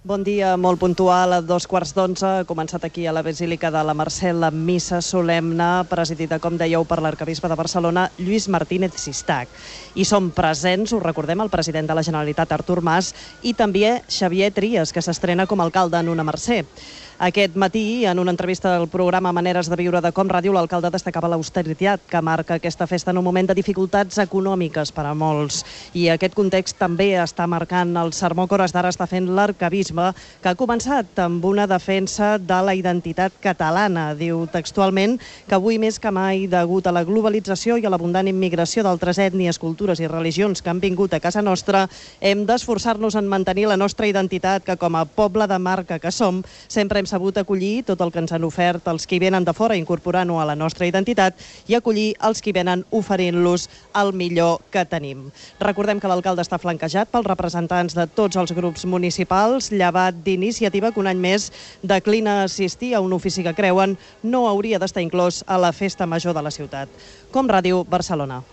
Bon dia, molt puntual, a 2:15. Ha començat aquí a la Basílica de la Mercè la missa solemne, presidida, com dèieu, per l'arcabisbe de Barcelona, Lluís Martínez Sistac. I són presents, ho recordem, el president de la Generalitat, Artur Mas, i també Xavier Trias, que s'estrena com a alcalde en una Mercè. Aquest matí, en una entrevista al programa Maneres de Viure de Com Ràdio, l'alcalde destacava l'austeritat que marca aquesta festa en un moment de dificultats econòmiques per a molts. I aquest context també està marcant el sermó que hores d'ara està fent l'arcabisbe, que ha començat amb una defensa de la identitat catalana. Diu textualment que avui més que mai, degut a la globalització i a l'abundant immigració d'altres ètnies, cultures i religions que han vingut a casa nostra, hem d'esforçar-nos en mantenir la nostra identitat, que com a poble de marca que som, sempre hem sabut acollir tot el que ens han ofert els que venen de fora, incorporant-ho a la nostra identitat, i acollir els que venen oferint-los el millor que tenim. Recordem que l'alcalde està flanquejat pels representants de tots els grups municipals, llevat d'Iniciativa, que un any més declina assistir a un ofici que creuen no hauria d'estar inclòs a la festa major de la ciutat. Com Ràdio, Barcelona.